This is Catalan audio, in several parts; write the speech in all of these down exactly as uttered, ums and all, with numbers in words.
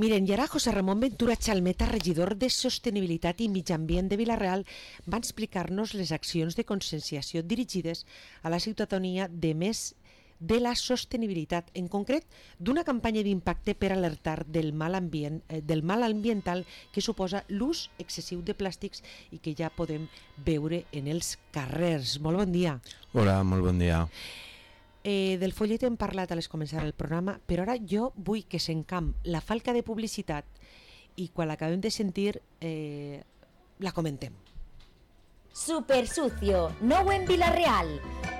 Miren, i ara José Ramón Ventura Chalmeta, regidor de Sostenibilitat i Mig Ambient de Vila-real, va explicar-nos les accions de conscienciació dirigides a la ciutadania de més de la sostenibilitat, en concret d'una campanya d'impacte per alertar del mal ambient, eh, del mal ambiental que suposa l'ús excessiu de plàstics i que ja podem veure en els carrers. Molt bon dia. Hola, molt bon dia. Eh, del follet hem parlat a les començar el programa, però ara jo vull que s'encamp la falca de publicitat i quan l'acabem de sentir eh, la comentem. Super sucio, nou en Vila-real.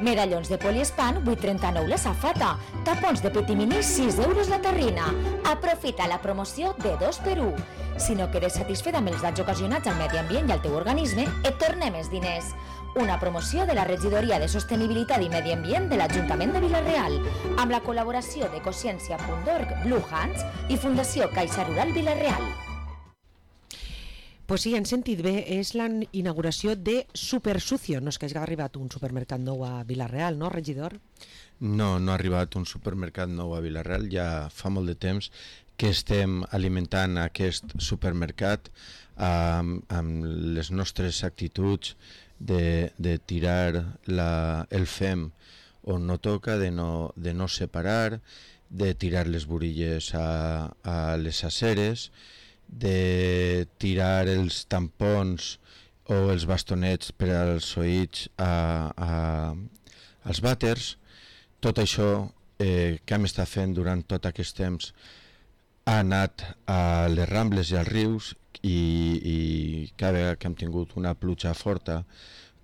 Medallons de poliespan, vuit trenta-nou la safata. Tapons de Petimini, sis euros la terrina. Aprofita la promoció de dos per un. Si no quedes satisfet amb els danys ocasionats al medi ambient i al teu organisme, et tornem els diners. Una promoció de la Regidoria de Sostenibilitat i Medi Ambient de l'Ajuntament de Vila-real, amb la col·laboració de Consciència punt org, Blue Hands i Fundació Caixa Rural Vila-real. Pues sí, han sentit bé, és la inauguració de Super Sucio. No és que hagi arribat un supermercat nou a Vila-real, no, regidor? No, no ha arribat un supermercat nou a Vila-real, ja fa molt de temps que estem alimentant aquest supermercat amb, amb les nostres actituds de, de tirar la, el fem on no toca, de no, de no separar, de tirar les burilles a, a les aceres, de tirar els tampons o els bastonets per als oïts a, a, als vàters. Tot això eh, que hem estat fent durant tot aquest temps ha anat a les rambles i als rius i, i cada vegada que hem tingut una pluja forta,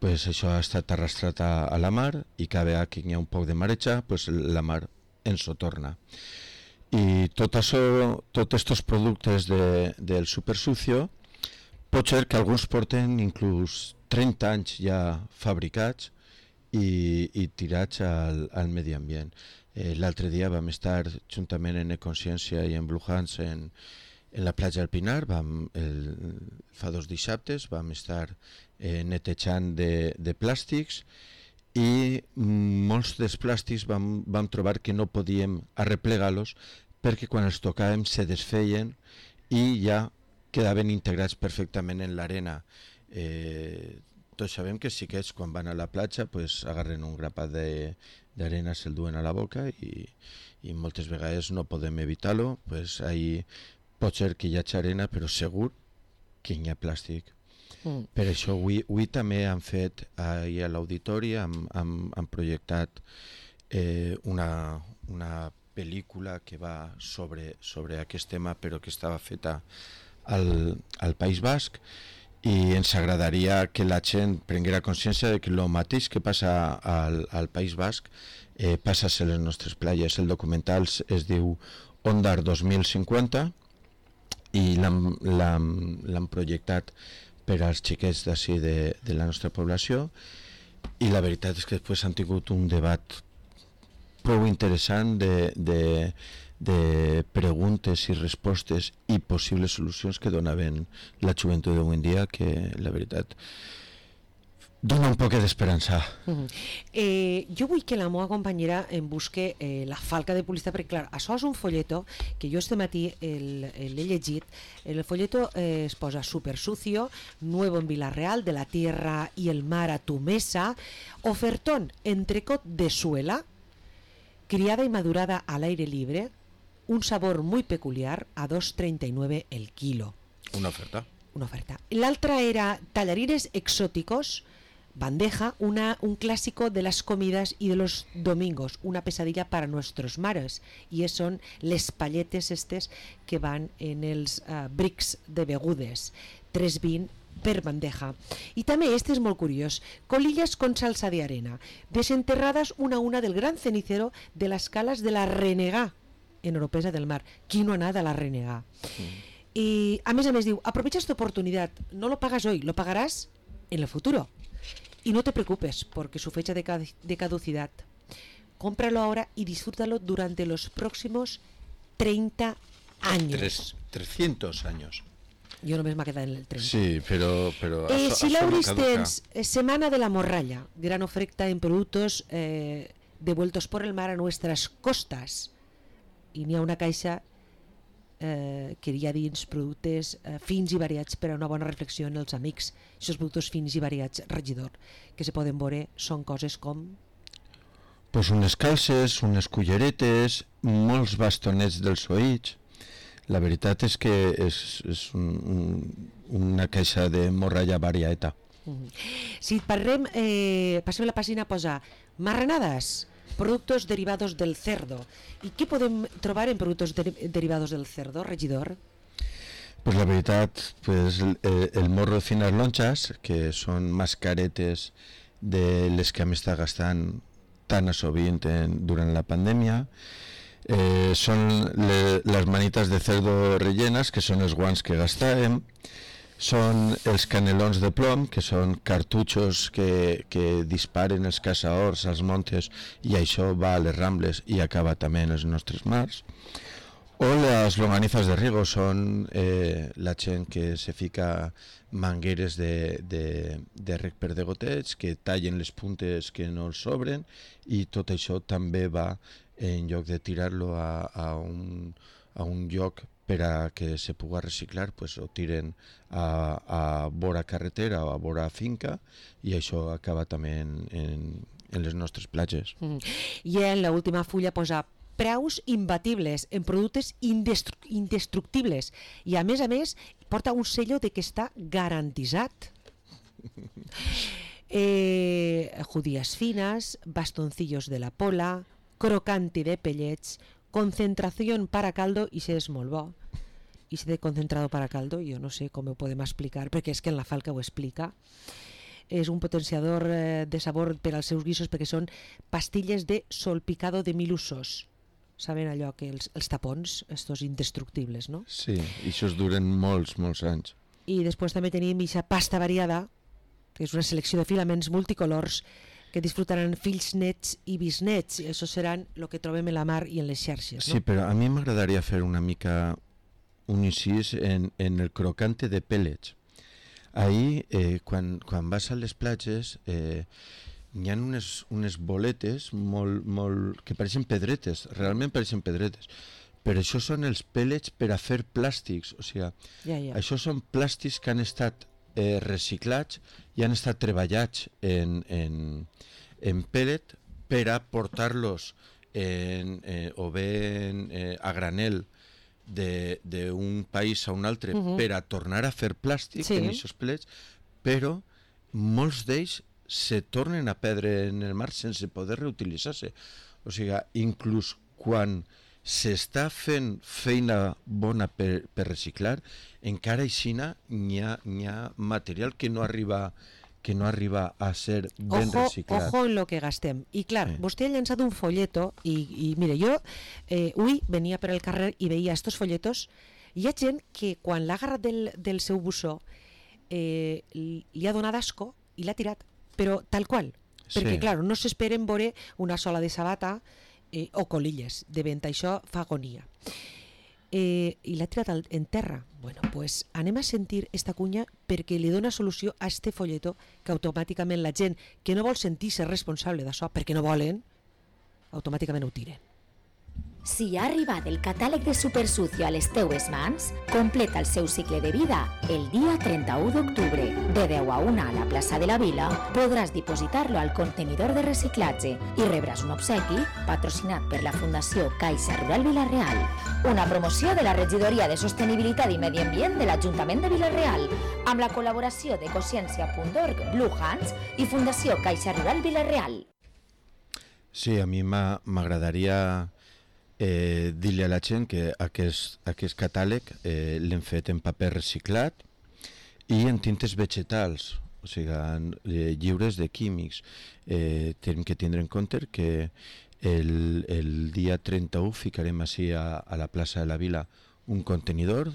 pues això ha estat arrastrat a, a la mar i cada vegada que hi ha un poc de mareja, pues la mar ens ho torna. I tot això, tots aquests productes de, del supersucio, pot ser que alguns porten inclús trenta anys ja fabricats i, i tirats al, al medi ambient. Eh, L'altre dia vam estar juntament en Econsciència i en Blue Hands en, en la platja del Pinar, vam, el, fa dos dissabtes vam estar eh, netejant de, de plàstics i molts dels plàstics vam, vam trobar que no podíem arreplegar-los perquè quan els tocàvem se desfeien i ja quedaven integrats perfectament en l'arena. Eh, tots sabem que sí que és quan van a la platja pues, agarren un grapat d'arena, se'l duen a la boca i, i moltes vegades no podem evitar-lo, pues, ahí pot ser que hi hagi arena però segur que hi ha plàstic. Mm. Per això avui, avui també han fet ahir a l'auditori, han, han, han projectat eh, una, una pel·lícula que va sobre, sobre aquest tema però que estava feta al, al País Basc i ens agradaria que la gent prenguera consciència de que el mateix que passa al, al País Basc eh, passa a les nostres platges. El documental es diu Ondar dos mil cinquanta i l'han projectat per als xiquets d'ací de, de la nostra població i la veritat és que després han tingut un debat prou interessant de, de, de preguntes i respostes i possibles solucions que donaven la joventut d'avui en dia, que la veritat dona un poc d'esperança. Uh-huh. eh, jo vull que la meva companyera em busque eh, la falca de publicitat, perquè clar, això és un folleto que jo este matí l'he llegit. En el folleto eh, es posa Super Sucio, nuevo en Vila-real, de la tierra y el mar a tu mesa, ofertón entrecot de suela, criada y madurada al aire libre, un sabor muy peculiar, a dos treinta y nueve el kilo. Una oferta. Una oferta. L'altra era tallarines exóticos, bandeja, una, un clásico de las comidas y de los domingos, una pesadilla para nuestros mares, y son les palletes estes que van en els uh, brics de begudes, tres vint per bandeja. I també este és molt curiós, colillas con salsa de arena, desenterradas una a una del gran cenicero de las calas de la Renegá, en Oropesa del Mar. Qui no ha anat a la Renegá? Mm. I a més a més diu, aprovecha esta oportunidad, no lo pagas hoy, lo pagarás en el futuro. Y no te preocupes porque su fecha de, de caducidad. Cómpralo ahora y disfrútalo durante los próximos treinta años. Tres, trescientos años. Jo només m'ha quedat en el treinta. Sí, però... però eh, això, si l'Auris no tens eh, Semana de la Morralla, gran oferta en productos eh, devueltos por el mar a nuestras costas. I n'hi ha una caixa eh, que hi ha dins productes eh, fins i variats per a una bona reflexió en els amics. Aquests productes fins i variats, regidor, que se poden veure, són coses com... Pues unes calces, unes culleretes, molts bastonets dels oïts. La veritat és que és, és un, un, una caixa de morralla varieta. Mm-hmm. Si parlem, eh, passem la pàgina a posar marranades, productos derivados del cerdo. I què podem trobar en productos de, derivados del cerdo, regidor? Pues la veritat, pues el, el morro de fines lonchas, que són mascaretes de les que hem estat gastant tan a sovint en, durant la pandèmia, eh, són le, les manites de cerdo rellenes, que són els guants que gastàvem, són els canelons de plom, que són cartutxos que, que disparen els caçadors als montes i això va a les rambles i acaba també en els nostres mars. O les longanizas de riego, són eh, la gent que se fica mangueres de, de, de rec per de gotets, que tallen les puntes que no els sobren, i tot això també va, en lloc de tirar-lo a, a, un, a un lloc per a que se pugui reciclar, pues ho tiren a, a vora carretera o a vora finca, i això acaba també en, en, en les nostres platges. Mm. I en l'última fulla posa preus imbatibles en productes indestru indestructibles, i a més a més porta un sello de que està garantitzat. eh, judías finas, bastoncillos de la pola, crocante de pellets, concentración para caldo, i se és molt bo. I se de concentrado para caldo, jo no sé com ho podem explicar, perquè és que en la Falca ho explica. És un potenciador eh, de sabor per als seus guisos, perquè són pastilles de solpicado de mil usos. Saben allò que els, els tapons, estos indestructibles, no? Sí, i això duren molts, molts anys. I després també tenim aquesta pasta variada, que és una selecció de filaments multicolors que disfrutaran fills nets i bisnets, i això seran el que trobem en la mar i en les xarxes, no? Sí, però a mi m'agradaria fer una mica un incís en, en el crocante de pellets. Ahí, eh, quan, quan vas a les platges, eh, hi ha unes, unes boletes molt, molt, que pareixen pedretes, realment pareixen pedretes, però això són els pellets per a fer plàstics, o sigui, ja, ja. això són plàstics que han estat eh, reciclats i han estat treballats en, en, en pellet per a portar-los en, eh, o bé en, eh, a granel d'un país a un altre, uh-huh, per a tornar a fer plàstic, sí, en aquests pellets, però molts d'ells se tornen a perdre en el mar sense poder reutilitzar-se. O sigui, inclús quan s'està fent feina bona per, per reciclar, encara aixina n'hi ha, n'hi ha material que no arriba que no arriba a ser ben ojo, reciclat. Ojo en lo que gastem. I clar, sí, vostè ha llançat un folleto i, i mire, jo eh, avui venia per el carrer i veia estos folletos. Hi ha gent que quan l'ha agarrat del, del seu bussó eh, li ha donat asco i l'ha tirat, però tal qual. Perquè, sí, clar, no s'esperen veure una sola de sabata eh, o colilles de vent. Això fa agonia. Eh, I l'ha tirat al, en terra. Bueno, pues anem a sentir esta cunya perquè li dona solució a este folleto que automàticament la gent que no vol sentir-se responsable d'això, perquè no volen, automàticament ho tiren. Si ha arribat el catàleg de Supersucio a les teues mans, completa el seu cicle de vida el dia trenta-u d'octubre. De deu a una a la plaça de la Vila podràs dipositar-lo al contenidor de reciclatge i rebràs un obsequi patrocinat per la Fundació Caixa Rural Vila-real. Una promoció de la Regidoria de Sostenibilitat i Medi Ambient de l'Ajuntament de Vila-real, amb la col·laboració de Consciència punt org, Blue Hands i Fundació Caixa Rural Vila-real. Sí, a mi m'agradaria Eh, dir-li a la gent que aquest, aquest catàleg eh, l'hem fet en paper reciclat i en tintes vegetals, o sigui, eh, lliures de químics. Eh, tenim que tindre en compte que el, el dia trenta-u ficarem així a, a la plaça de la Vila un contenidor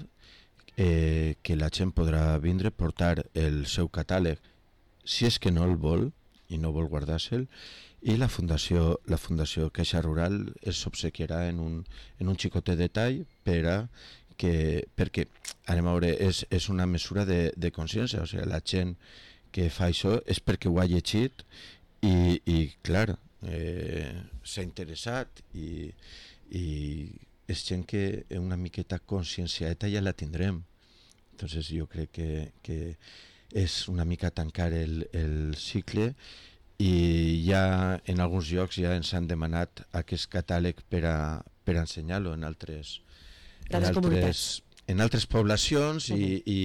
eh, que la gent podrà vindre a portar el seu catàleg si és que no el vol i no vol guardar-se'l, i la Fundació, la Fundació Caixa Rural es obsequiarà en un, en un xicotet detall per a que, perquè, anem a veure, és, és una mesura de, de consciència, o sigui, la gent que fa això és perquè ho ha llegit i, i clar, eh, s'ha interessat i, i és gent que una miqueta conscienciata ja la tindrem. Entonces jo crec que, que és una mica tancar el, el cicle, i ja en alguns llocs ja ens han demanat aquest catàleg per a, per a ensenyar-lo en altres, en altres, en altres poblacions uh-huh. i, i,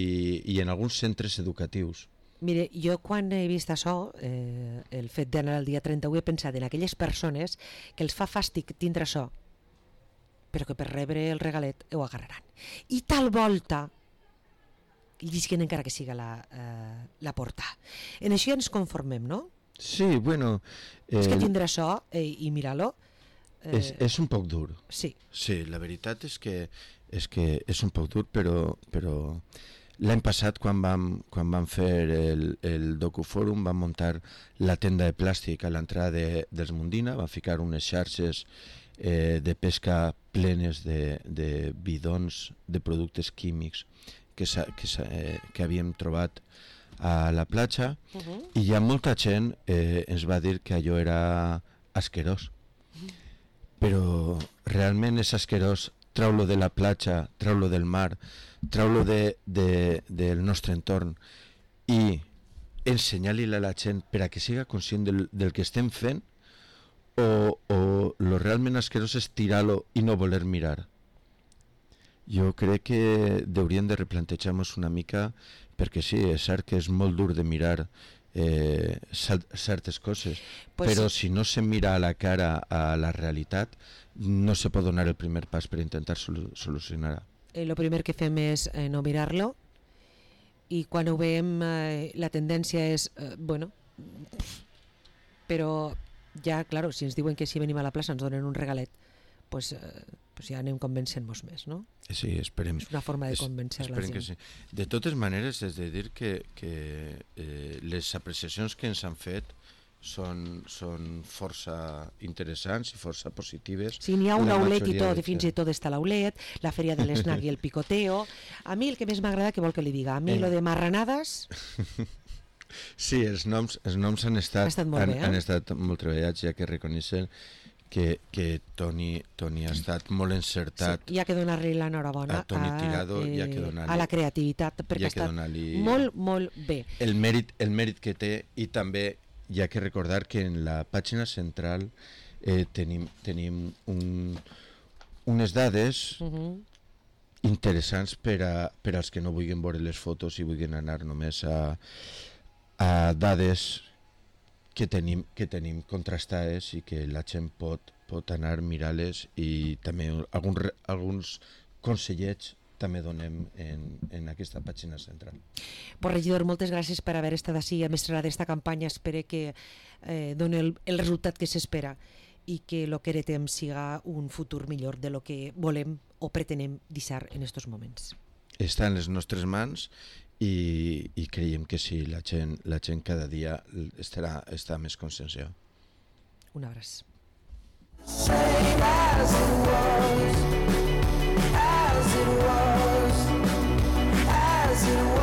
i en alguns centres educatius. Mire, jo quan he vist això, eh, el fet d'anar el dia trenta-u, he pensat en aquelles persones que els fa fàstic tindre això, però que per rebre el regalet ho agarraran. I tal volta llisquen encara que siga la, eh, la porta. En això ja ens conformem, no? Sí, bueno... Eh, és que tindre això eh, i mirar-lo... Eh, és, és un poc dur. Sí. Sí, la veritat és que és, que és un poc dur, però... però... L'any passat, quan vam, quan vam fer el, el docufòrum, vam muntar la tenda de plàstic a l'entrada de, dels Mundina, vam ficar unes xarxes eh, de pesca plenes de, de bidons de productes químics que, que, eh, que havíem trobat a la platja, uh-huh. i ja molta gent eh, ens va dir que allò era asquerós. Uh-huh. Però realment és asquerós treu-lo de la platja, treu-lo del mar, treu-lo de, de, del nostre entorn i ensenyar-li a la gent per a que siga conscient del, del que estem fent, o, o lo realment asquerós és tirar-lo i no voler mirar. Jo crec que hauríem de replantejar-nos una mica, perquè sí, és cert que és molt dur de mirar eh, certes coses, pues però sí. Si no se mira a la cara a la realitat, no se pot donar el primer pas per intentar sol solucionar-ho. El eh, primer que fem és eh, no mirar-lo, i quan ho veiem eh, la tendència és, eh, bueno, però ja, claro, si ens diuen que si venim a la plaça ens donen un regalet, pues, eh, pues ja anem convencent-nos més, no? Sí, esperem. És una forma de convencer la gent. Sí. De totes maneres, és de dir que, que eh, les apreciacions que ens han fet són, són força interessants i força positives. Sí, n'hi ha un aulet i tot, fins i tot està l'aulet, la feria de l'esnac i el picoteo. A mi el que més m'agrada, que vol que li diga, a mi eh. lo de marranades... Sí, els noms, els noms han estat, ha estat molt han, bé, eh? han estat molt treballats, ja que reconeixen que, que Toni, Toni ha estat molt encertat. Sí, hi ha que donar-li l'enhorabona a, Toni Tirado, eh, hi ha que donar-li, a la creativitat, perquè ha, ha estat molt, molt bé. El mèrit, el mèrit que té, i també hi ha que recordar que en la pàgina central eh, tenim, tenim un, unes dades uh-huh. interessants per, a, per als que no vulguin veure les fotos i vulguin anar només a, a dades que tenim, que tenim contrastades i que la gent pot, pot anar a mirar-les, i també alguns, alguns consellets també donem en, en aquesta pàgina central. Pues, regidor, moltes gràcies per haver estat així a mestre d'esta campanya. Espero que eh, doni el, el resultat que s'espera i que el que heretem siga un futur millor de lo que volem o pretenem deixar en aquests moments. Està en les nostres mans i, i creiem que sí, la gent, la gent cada dia estarà, estarà més conscienciada. Un abraç. Same as it was, as it was, as it was.